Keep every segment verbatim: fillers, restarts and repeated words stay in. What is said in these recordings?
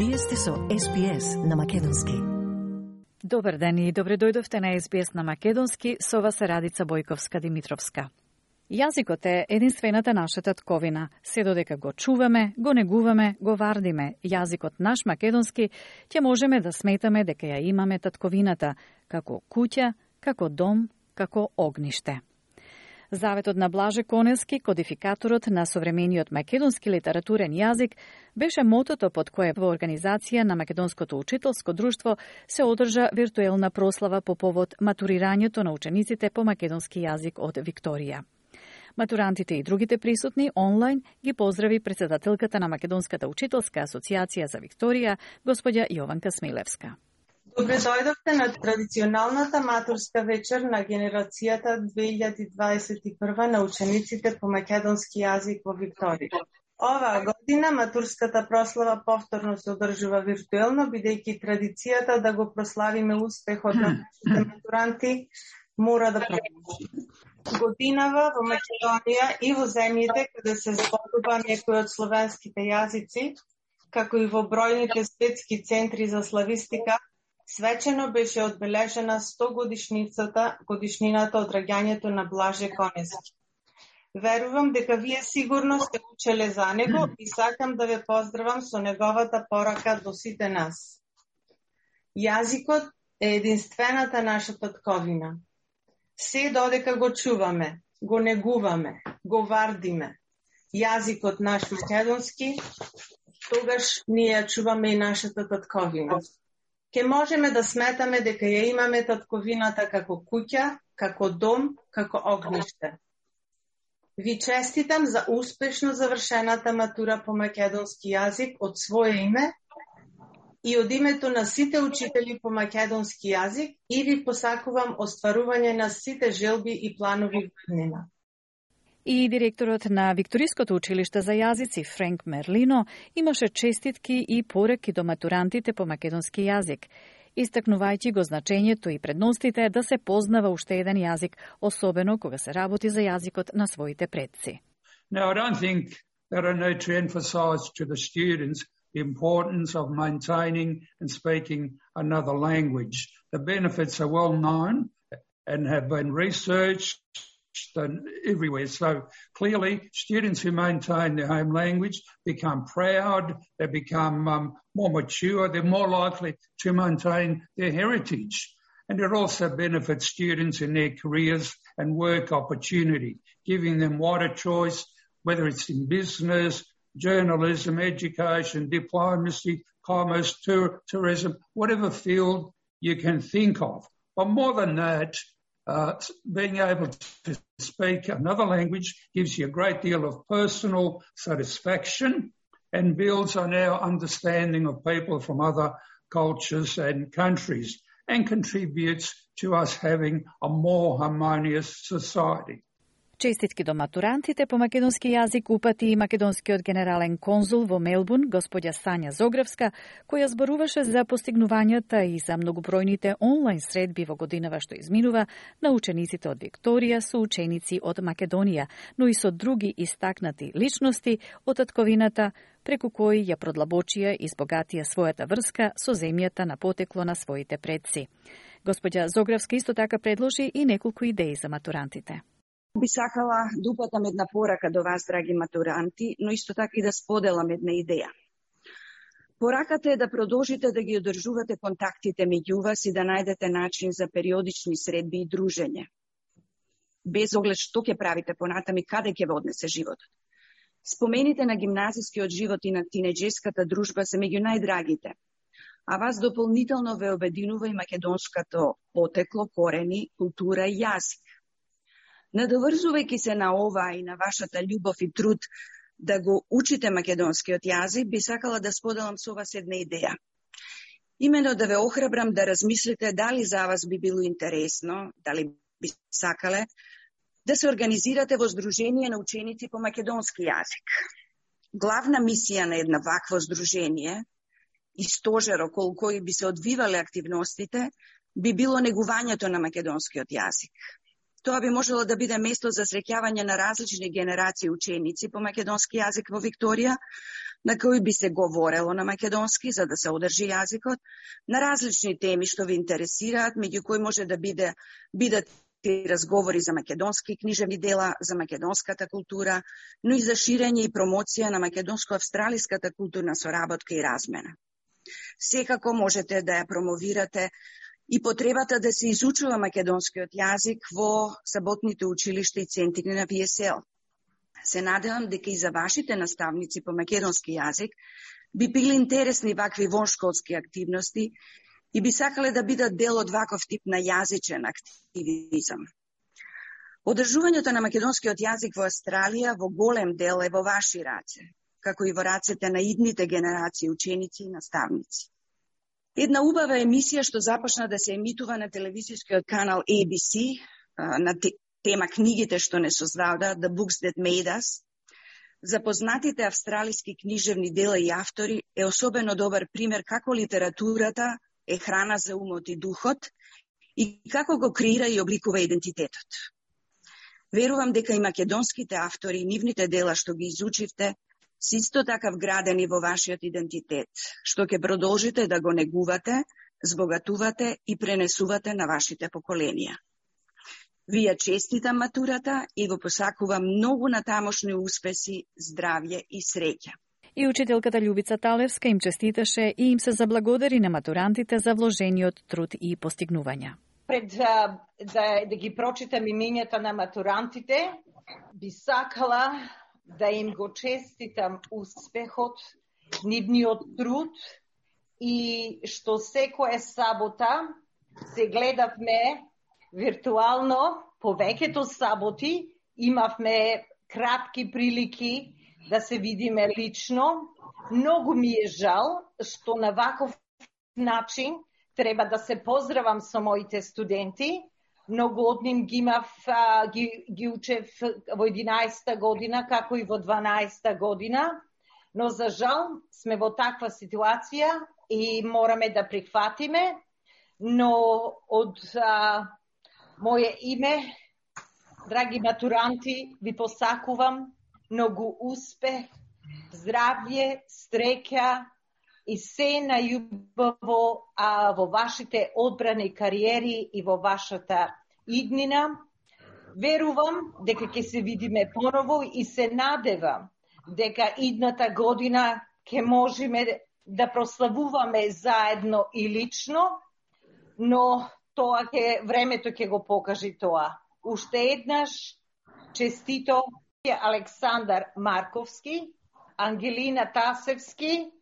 Вие сте со Ес Би Ес на Македонски. Добар ден и добре дојдовте на Ес Би Ес на Македонски, со вас е Радица Бојковска-Димитровска. Јазикот е единствената наша татковина. Се додека го чуваме, го негуваме, го вардиме, јазикот наш македонски, ќе можеме да сметаме дека ја имаме татковината, како куќа, како дом, како огниште. Заветот на Блаже Конески, кодификаторот на современиот македонски литературен јазик, беше мотото под кое во организација на Македонското учителско друштво се одржа виртуелна прослава по повод матурирањето на учениците по македонски јазик од Викторија. Матурантите и другите присутни онлайн ги поздрави председателката на Македонската учителска асоциација за Викторија, господја Јованка Смилевска. Добре дојдовте на традиционалната матурска вечер на генерацијата две илјади дваесет и прва на учениците по македонски јазик во Викторија. Оваа година матурската прослава повторно се одржува виртуелно, бидејќи традицијата да го прославиме успехот на нашите матуранти мора да продолжи. Годинава во Македонија и во земјите каде се зборува некои од словенските јазици, како и во бројните светски центри за славистика, свечено беше одбележена сто годишницата, годишнината од раѓањето на Блаже Конески. Верувам дека вие сигурно сте учеле за него и сакам да ве поздравам со неговата порака до сите нас. Јазикот е единствената наша татковина. Се додека го чуваме, го негуваме, го вардиме, јазикот наш македонски, тогаш ние ја чуваме и нашата татковина. Ке можеме да сметаме дека ја имаме татковината како куќа, како дом, како огниште. Ви честитам за успешно завршената матура по македонски јазик од свое име и од името на сите учители по македонски јазик и ви посакувам остварување на сите желби и планови во иднина. И директорот на Викториското училиште за јазици Френк Мерлино имаше честитки и пораки до матурантите по македонски јазик, истакнувајќи го значењето и предностите да се познава уште еден јазик, особено кога се работи за јазикот на своите предци. Now, I don't think that I need to emphasize to the students the importance of maintaining and speaking another language. The benefits are well known and have been researched and everywhere. So clearly, students who maintain their home language become proud, they become um, more mature, they're more likely to maintain their heritage. And it also benefits students in their careers and work opportunity, giving them wider choice, whether it's in business, journalism, education, diplomacy, commerce, tour, tourism, whatever field you can think of. But more than that, uh, being able to speak another language gives you a great deal of personal satisfaction and builds on our understanding of people from other cultures and countries and contributes to us having a more harmonious society. Честитки до матурантите по македонски јазик упати и македонскиот генерален конзул во Мелбурн, господја Сања Зогревска, која зборуваше за постигнувањата и за многобројните онлайн средби во годинава што изминува на учениците од Викторија со ученици од Македонија, но и со други истакнати личности од татковината, преку кои ја продлабочија и збогатија својата врска со земјата на потекло на своите предци. Господја Зогревска исто така предложи и неколку идеи за матурантите. Би сакала да упатам една порака до вас, драги матуранти, но исто така и да споделам една идеја. Пораката е да продолжите да ги одржувате контактите меѓу вас и да најдете начин за периодични средби и дружење. Без оглед што ќе правите понатам и каде ќе ве однесе животот. Спомените на гимназискиот живот и на тинеџерската дружба се меѓу најдрагите, а вас дополнително ве обединува и македонското потекло, корени, култура и јазик. Надоврзувајќи се на ова и на вашата љубов и труд да го учите македонскиот јазик, би сакала да споделам со вас една идеја. Имено да ве охрабрам да размислите дали за вас би било интересно, дали би сакале, да се организирате во здружение на ученици по македонски јазик. Главна мисија на една вакво здружение и стожер околу кој би се одвивале активностите би било негувањето на македонскиот јазик. Тоа би можело да биде место за среќавање на различни генерации ученици по македонски јазик во Викторија, на кои би се говорело на македонски за да се одржи јазикот, на различни теми што ви интересираат, меѓу кои може да биде бидат и разговори за македонски книжевни дела, за македонската култура, но и за ширење и промоција на македонско-австралиската културна соработка и размена. Секако можете да ја промовирате и потребата да се изучува македонскиот јазик во саботните училишта и центри на ви ес ел. Се надевам дека и за вашите наставници по македонски јазик би били интересни вакви воншколски активности и би сакале да бидат дел од ваков тип на јазичен активизам. Одржувањето на македонскиот јазик во Австралија во голем дел е во ваши раце, како и во рацете на идните генерации ученици и наставници. Една убава емисија што започна да се емитува на телевизискиот канал ей би си на тема книгите што не создадоа, The Books That Made Us, за познатите австралиски книжевни дела и автори е особено добар пример како литературата е храна за умот и духот и како го креира и обликува идентитетот. Верувам дека и македонските автори и нивните дела што ги изучивте се исто така вградени во вашиот идентитет, што ќе продолжите да го негувате, збогатувате и пренесувате на вашите поколенија. Ви ја честитам матурата и го посакувам многу натамошни успеси, здравје и среќа. И учителката Љубица Талевска им честиташе и им се заблагодари на матурантите за вложениот труд и постигнувања. Пред да, да, да ги прочитам имењата на матурантите, би сакала да им го честитам успехот, нивниот труд и што секоја сабота се гледавме виртуално, повеќето саботи имавме кратки прилики да се видиме лично. Многу ми е жал што на ваков начин треба да се поздравам со моите студенти. Многу од нив ги имав, ги, ги учев во единаесетта година, како и во дванаесетта година, но за жал сме во таква ситуација и мораме да прихватиме, но од а, моје име, драги матуранти, ви посакувам многу успех, здравје, среќа и се најубаво а, во вашите одбрани кариери и во вашата иднина. Верувам дека ќе се видиме поново и се надевам дека идната година ќе можеме да прославуваме заедно и лично, но тоа ќе времето ќе го покажи тоа. Уште еднаш честито Александар Марковски, Ангелина Тасевски,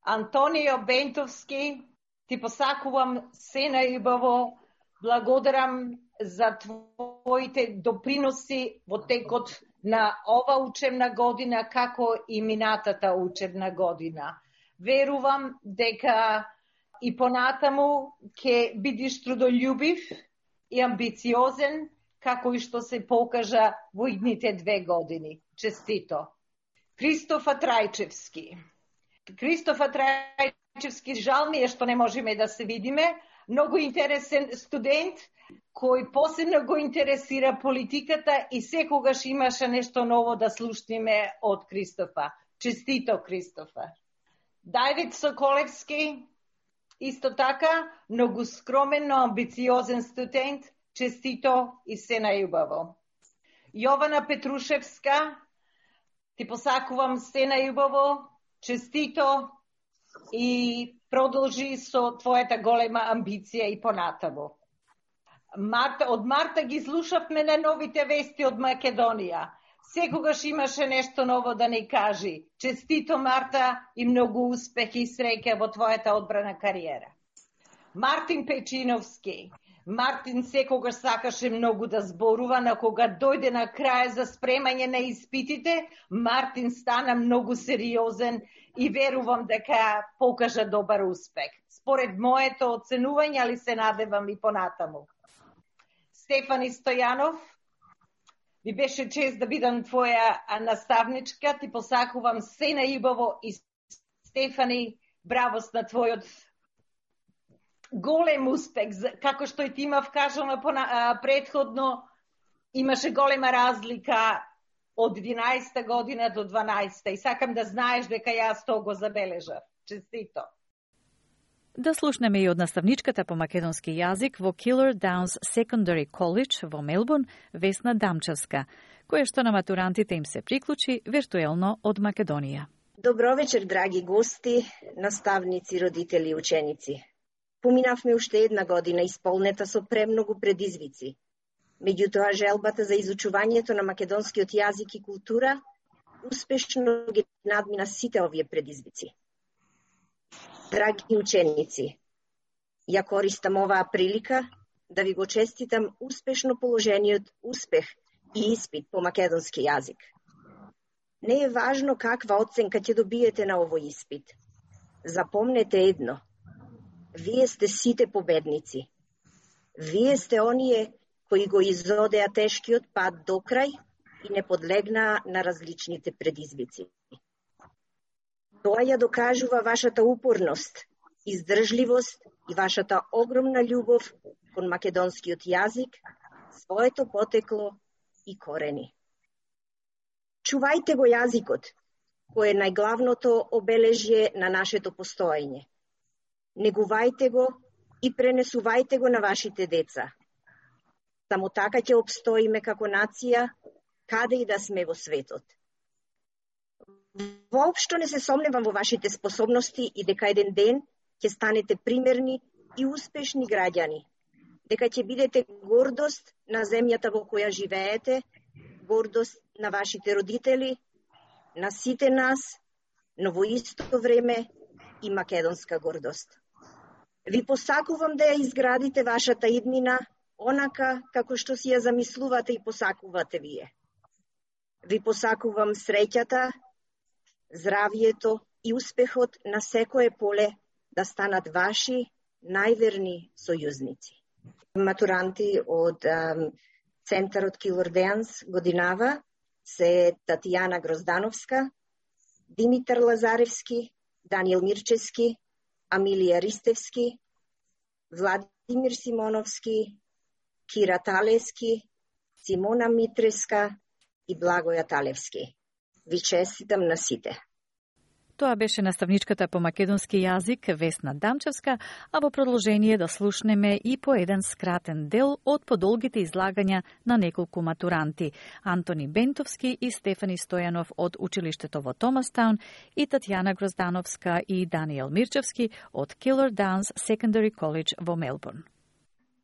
Антонио Бентовски, ти посакувам се најубаво, благодарам за твоите доприноси во текот на ова учебна година, како и минатата учебна година. Верувам дека и понатаму ќе бидиш трудолюбив и амбициозен, како и што се покажа во идните две години. Честито. Кристофа Трајчевски. Кристофа Трајчевски, жал ми е што не можеме да се видиме. Многу интересен студент, кој посебно го интересира политиката и секогаш имаше нешто ново да слушнеме од Кристофа. Честито, Кристофа. Давид Соколевски, исто така, многу скромен, но амбициозен студент. Честито и се најубаво. Јована Петрушевска, ти посакувам се најубаво, честито и продолжи со твојата голема амбиција и понатамо. Марта, од Марта ги слушавме на новите вести од Македонија. Секогаш имаше нешто ново да ни кажи. Честито, Марта, и многу успех и среќа во твојата одбрана кариера. Мартин Печиновски. Мартин секогаш сакаше многу да зборува, но кога дојде на крај за спремање на испитите, Мартин стана многу сериозен и верувам дека покажа добар успех. Според моето оценување, али се надевам и понатаму. Стефани Стојанов, ви беше чест да бидам твоја наставничка, ти посакувам се најубаво и Стефани, бравост на твојот голем успех, како што и ти имав кажано предходно, имаше голема разлика од единаесетта година до дванаесетта и сакам да знаеш дека јас тоа го забележав. Честито. Да слушнеме и од наставничката по македонски јазик во Killer Downs Secondary College во Мелбурн, Весна Дамчевска, која што на матурантите им се приклучи виртуелно од Македонија. Добро вечер, драги гости, наставници, родители и ученици. Поминавме уште една година исполнета со премногу предизвици. Меѓутоа, желбата за изучувањето на македонскиот јазик и култура успешно ги надмина сите овие предизвици. Драги ученици, ја користам оваа прилика да ви го честитам успешно положениот успех и испит по македонски јазик. Не е важно каква оценка ќе добиете на овој испит. Запомнете едно. Вие сте сите победници. Вие сте оние кои го изодеа тешкиот пат до крај и не подлегнаа на различните предизвици. Тоа ја докажува вашата упорност, издржливост и вашата огромна љубов кон македонскиот јазик, своето потекло и корени. Чувајте го јазикот, кој е најглавното обележје на нашето постоење. Негувајте го и пренесувајте го на вашите деца. Само така ќе обстоиме како нација, каде и да сме во светот. Воопшто не се сомневам во вашите способности и дека еден ден ќе станете примерни и успешни граѓани. Дека ќе бидете гордост на земјата во која живеете, гордост на вашите родители, на сите нас, но во исто време и македонска гордост. Ви посакувам да ја изградите вашата иднина онака како што си ја замислувате и посакувате вие. Ви посакувам среќата, здравието и успехот на секое поле да станат ваши најверни сојузници. Матуранти од um, Центарот Killer Downs годинава се Татјана Гроздановска, Димитар Лазаревски, Даниел Мирчевски, Амилија Ристевски, Владимир Симоновски, Кира Талевски, Симона Митреска и Благоја Талевски. Ви честитам на сите. Тоа беше наставничката по македонски јазик Весна Дамчевска, а во продолжение да слушнеме и по еден скратен дел од подолгите излагања на неколку матуранти Антони Бентовски и Стефани Стојанов од училиштето во Томастаун и Татјана Гроздановска и Даниел Мирчевски од Killer Downs Secondary College во Мелбурн.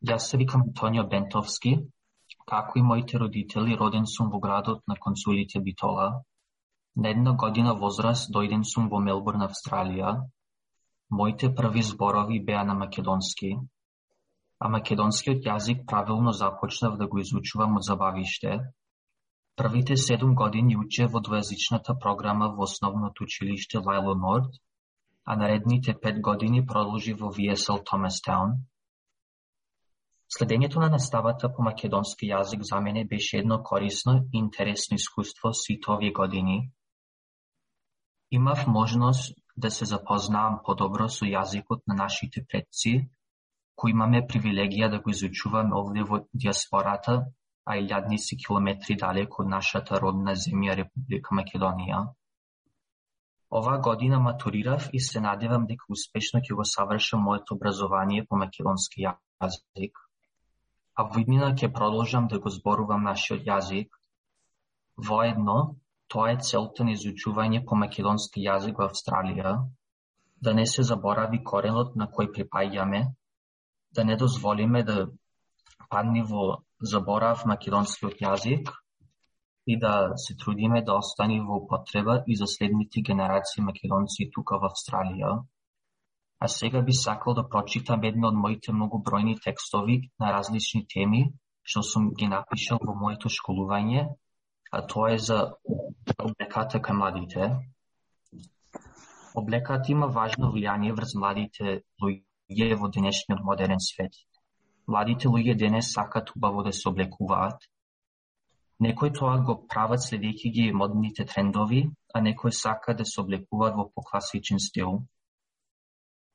Јас се викам Антонио Бентовски, како и моите родители, роден сум во градот на консулите Битола. На една година возраст дојден сум во Мелбурн, Австралија. Моите први зборови беа на македонски, а македонскиот јазик правилно започнав да го изучувам од забавиште. Првите седум години учев во двојазичната програма во основното училиште Лајло Норд, а наредните пет години продолжи во Ви Ес Ел Томастаун. Следењето на наставата по македонски јазик за мене беше едно корисно и интересно искуство сите овие години. Имав можност да се запознаам подобро со јазикот на нашите предци, кои имаме привилегија да го изучуваме овде во диаспората, а илјадници километри далеко од нашата родна земја Република Македонија. Оваа година матурирав и се надевам дека успешно ќе го завршам моето образование по македонски јазик. А во иднина ќе продолжам да го зборувам нашиот јазик. Воедно, тоа е целта на изучување по македонски јазик во Австралија, да не се заборави коренот на кој припаѓаме, да не дозволиме да падне во заборав македонскиот јазик и да се трудиме да остане во употреба и за следните генерации македонци тука во Австралија. А сега би сакал да прочитам едно од моите многобројни текстови на различни теми, што сум ги напишал во моето школување, а тоа е за облеката кај младите. Облеката има важно влијание врз младите луѓе во денешниот модерен свет. Младите луѓе денес сакат убаво да се облекуваат. Некои тоа го прават следејќи ги модните трендови, а некои сакат да се облекуваат во покласичен стил.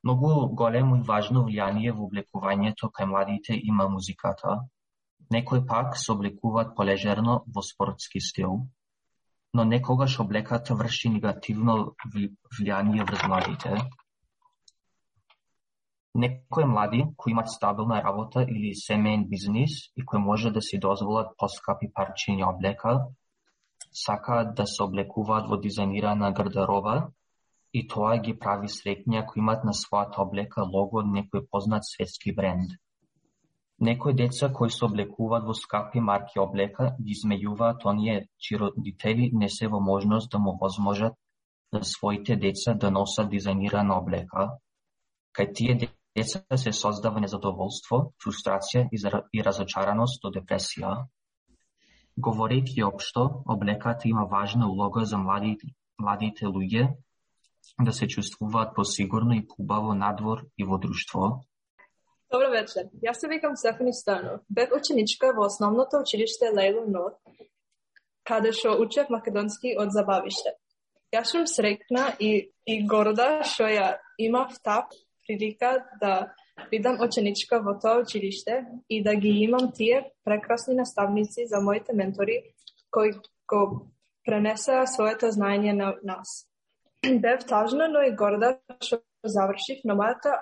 Многу големо и важно влијание во облекувањето кај младите има музиката. Некои пак се облекуваат полежерно во спортски стил. но некогаш облеката врши негативно влијание врз младите. Некои млади кои имаат стабилна работа или семеен бизнис и кои може да си дозволат поскапи парчиња облека, сакаат да се облекуваат во дизајнирана гардероба и тоа ги прави среќни ако имаат на својата облека лого од некој познат светски бренд. Некои деца кои се облекуваат во скапи марки облека ги измејуваат оние чии родители не се во можност да му возможат за своите деца да носат дизајнирана облека. Кај тие деца се создава незадоволство, фрустрација и разочараност до депресија. Говорејќи општо, облеката има важна улога за младите, младите луѓе да се чувствуваат посигурно и поубаво надвор и во друштво. Добро вечер. Јас се викам Стефани Стојанов. Бев ученичка во основното училиште Лейло Нот, каде што учев македонски од забавиште. Јас сум среќна и, и горда што ја имав таа прилика да бидам ученичка во тоа училиште и да ги имам тие прекрасни наставници за моите ментори кои го пренесеа своето знаење на нас. Бев тажна, но и горда што завршив, но мојата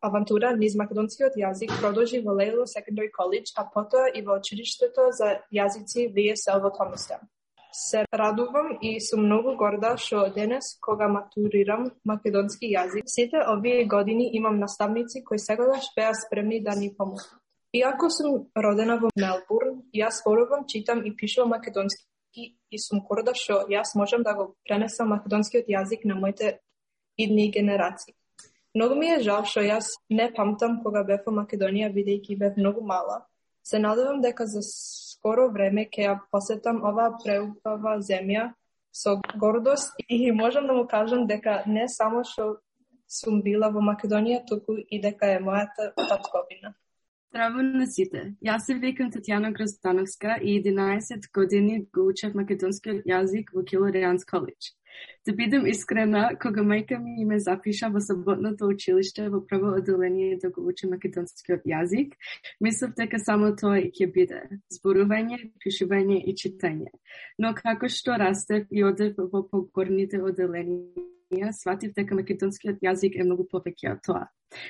авантура низ македонскиот јазик продолжи во Лейло Secondary College, а потоа и во училиштето за јазици ви ес ел во Томистаун. Се радувам и сум многу горда што денес, кога матурирам македонски јазик, сите овие години имам наставници кои секогаш беа спремни да ни помогнат. Иако сум родена во Мелбурн, јас зборувам, читам и пишувам македонски и сум горда што јас можам да го пренесам македонскиот јазик на моите идни генерации. Многу ми е жал што јас не памтам кога бев во Македонија, бидејќи бев многу мала. Се надевам дека за скоро време ќе ја посетам оваа преубава земја со гордост и можам да му кажам дека не само што сум била во Македонија, туку и дека е мојата татковина. Здраво на сите. Јас се викам Татјана Гроздановска и единаесет години го учев македонскиот јазик во Килоријанс Коледж. Да бидам искрена, кога мајка ми ме запиша во саботното училиште во прво одделение да го учи македонскиот јазик, мислев дека само тоа и ќе биде зборување, пишување и читање. Но како што растев и одев во погорните одделенија, сватив дека македонскиот јазик е многу повеќе од тоа.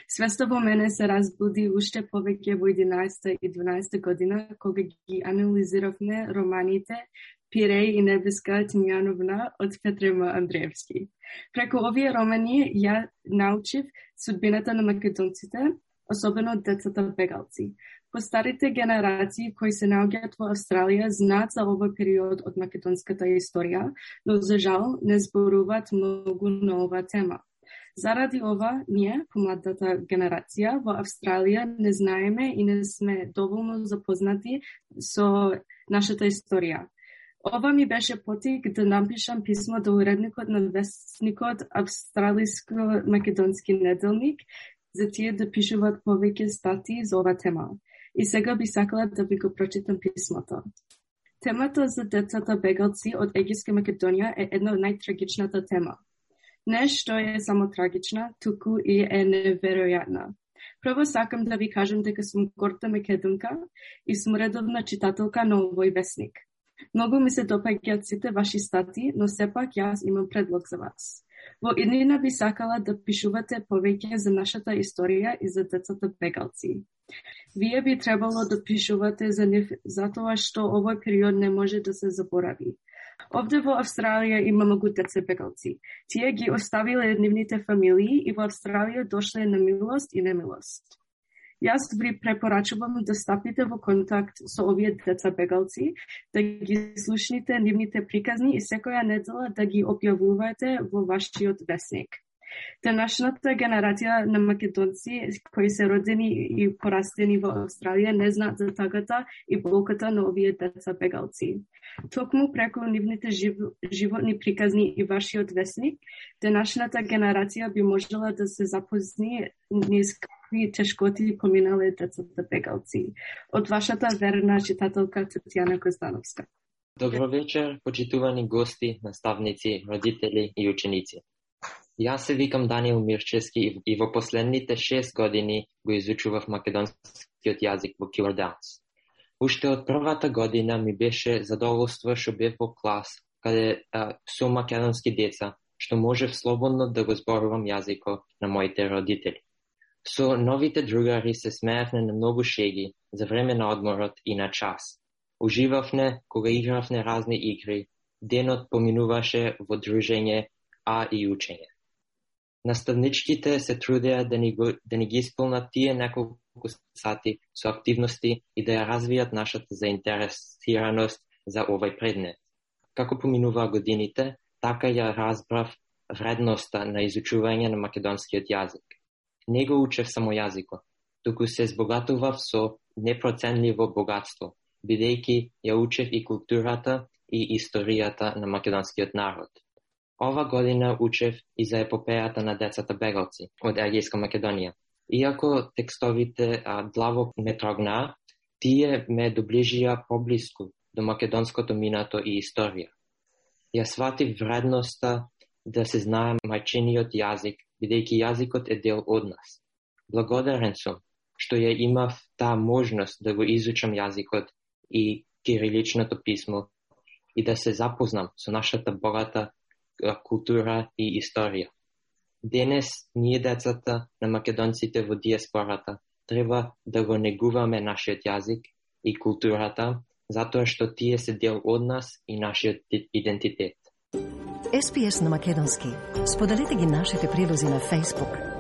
Свеста во мене се разбуди уште повеќе во единаесетта и дванаесетта година, кога ги анализиравме романите Пиреј и Небеска Тимјановна од Петрема Андреевски. Преку овие романи ја научив судбината на македонците, особено децата бегалци. Постарите генерации кои се наоѓаат во Австралија знаат за овој период од македонската историја, но за жал не зборуваат многу на оваа тема. Заради ова, ние, помладата генерација, во Австралија не знаеме и не сме доволно запознати со нашата историја. Ова ми беше потик да напишам писмо до уредникот на вестникот Австралиско-македонски неделник за тие да пишуваат повеќе статии за ова тема. И сега би сакала да ви го прочитам писмото. Темата за децата бегалци од Египска Македонија е една од најтрагичната тема. Не што е само трагична, туку и е неверојатна. Прво сакам да ви кажам дека сум горда македонка и сум редовна читателка на овој вестник. Многу ми се допаѓаат сите ваши статии, но сепак јас имам предлог за вас. Во иднина би сакала да пишувате повеќе за нашата историја и за децата бегалци. Вие би требало да пишувате за нив затоа што овој период не може да се заборави. Овде во Австралија има многу деца бегалци. Тие ги оставиле нивните фамилии и во Австралија дошле на милост и немилост. Јас ви препорачувам да стапите во контакт со овие деца бегалци, да ги слушните нивните приказни и секоја недела да ги објавувате во вашиот вестник. Денешната генерација на македонци кои се родени и порастени во Австралија не знаат за тагата и болката на овие деца бегалци. Токму преку нивните жив... животни приказни и вашиот вестник, денешната генерација би можела да се запозни низ какви тешкоти поминале децата бегалци. Од вашата верна читателка Татјана Гроздановска. Добро вечер, почитувани гости, наставници, родители и ученици. Јас се викам Даниел Мирчевски и во последните шест години го изучував македонскиот јазик во Килоријанс. Уште од првата година ми беше задоволство што бев во клас каде а, со македонски деца, што можев слободно да го зборувам јазикот на моите родители. Со новите другари се смеевме на многу шеги за време на одморот и на час. Уживавме кога игравме разни игри, денот поминуваше во дружење, а и учење. Наставничките се трудеа да ни, го, да ни ги исполнат тие неколку сати со активности и да ја развијат нашата заинтересираност за овој предмет. Како поминуваа годините, така ја разбрав вредноста на изучување на македонскиот јазик. Не го учев само јазикот, туку се збогатував со непроценливо богатство, бидејќи ја учев и културата и историјата на македонскиот народ. Ова година учев и за епопејата на децата бегалци од Егејска Македонија. Иако текстовите а, длаво ме трогнаа, тие ме доближија поблиску до македонското минато и историја. Ја сватив вредноста да се знае мајчиниот јазик, бидејќи јазикот е дел од нас. Благодарен сум што ја имав таа можност да го изучам јазикот и кириличното писмо и да се запознам со нашата богата култура и историја. Денес, ние децата на македонците во диаспората треба да го негуваме нашиот јазик и културата, затоа што тие се дел од нас и нашиот идентитет. Ес Би Ес на македонски. Споделете ги нашите прилози на Facebook,